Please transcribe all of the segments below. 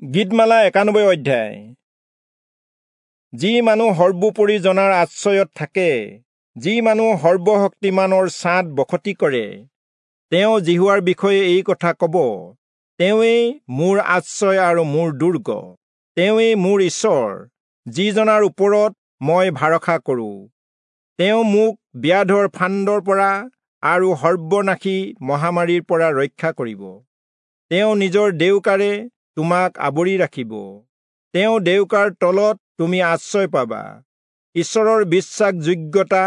গীতমালা 91 অধ্যায়। যি মানুহ সৰ্বোপৰি জনাৰ আশ্ৰয়ত থাকে, যি মানুহ সৰ্বশক্তিমানৰ ছাঁত বসতি কৰে, তেওঁ যিহোৱাৰ বিষয়ে এই কথা ক'ব, তেওঁৱেই মোৰ আশ্ৰয় আৰু মোৰ দুৰ্গ, তেওঁৱেই মোৰ ঈশ্বৰ, যিজনাৰ ওপৰত মই ভৰসা কৰোঁ। তেওঁ মোক ব্যাধৰ ফান্দৰ পৰা আৰু সৰ্বনাশী মহামাৰীৰ পৰা ৰক্ষা কৰিব। তেওঁ নিজৰ ডেউকাৰে তোমাক আৱৰি ৰাখিব, তেওঁ ডেউকাৰ তলত তুমি আশ্ৰয় পাবা। ঈশ্বৰৰ বিশ্বাসযোগ্যতা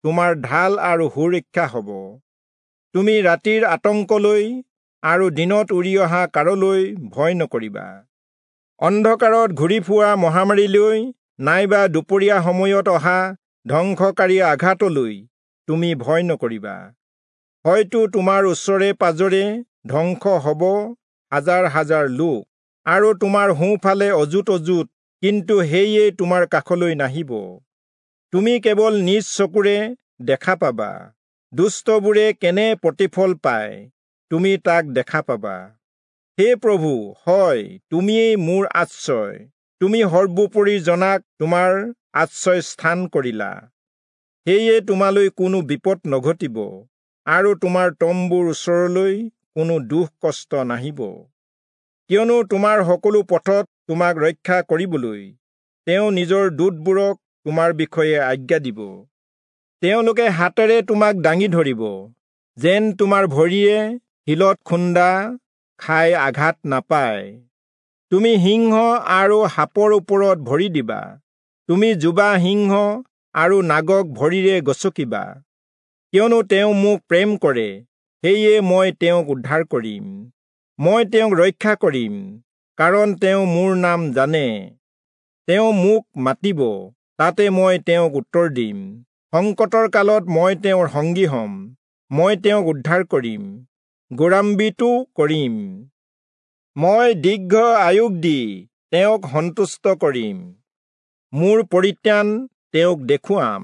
তোমাৰ ঢাল আৰু সুৰক্ষা হ'ব। তুমি ৰাতিৰ আতংকলৈ আৰু দিনত উৰি অহা কাৰলৈ ভয় নকৰিবা। অন্ধকাৰত ঘূৰি ফুৰা মহামাৰীলৈ নাইবা দুপৰীয়া সময়ত অহা ধ্বংসকাৰী আঘাতলৈ তুমি ভয় নকৰিবা। হয়তো তোমাৰ ওচৰে পাজৰে ধ্বংস হ'ব হাজাৰ হাজাৰ লোক, আৰু তোমাৰ সোঁফালে অযুত অযুত, কিন্তু সেয়ে তোমাৰ কাষলৈ নাহিব। তুমি কেৱল নিজ চকুৰে দেখা পাবা, দুষ্টবোৰে কেনে প্ৰতিফল পায় তুমি তাক দেখা পাবা। হে প্ৰভু, হয়, তুমিয়েই মোৰ আশ্ৰয়, তুমি সৰ্বোপৰি জনাক তোমাৰ আশ্ৰয় স্থান কৰিলা। সেয়ে তোমালৈ কোনো বিপদ নঘটিব, আৰু তোমাৰ তম্বুৰ ওচৰলৈ কোনো দুখ কষ্ট নাহিব। কিয়নো তোমাৰ সকলো পথত তোমাক ৰক্ষা কৰিবলৈ তেওঁ নিজৰ দূতবোৰক তোমাৰ বিষয়ে আজ্ঞা দিব। তেওঁলোকে হাতেৰে তোমাক দাঙি ধৰিব, যেন তোমাৰ ভৰিয়ে শিলত খুন্দা খাই আঘাত নাপায়। তুমি সিংহ আৰু সাপৰ ওপৰত ভৰি দিবা, তুমি যুৱা সিংহ আৰু নাগক ভৰিৰে গচকিবা। কিয়নো তেওঁ মোক প্ৰেম কৰে, সেয়ে মই তেওঁক উদ্ধাৰ কৰিম। মই তেওঁক ৰক্ষা কৰিম, কাৰণ তেওঁ মোৰ নাম জানে। তেওঁ মোক মাতিব, তাতে মই তেওঁক উত্তৰ দিম। সংকটৰ কালত মই তেওঁৰ সংগী হ'ম, মই তেওঁক উদ্ধাৰ কৰিম, গৌৰৱান্বিতো কৰিম। মই দীৰ্ঘ আয়ুস দি তেওঁক সন্তুষ্ট কৰিম, মোৰ পৰিত্ৰাণ তেওঁক দেখুৱাম।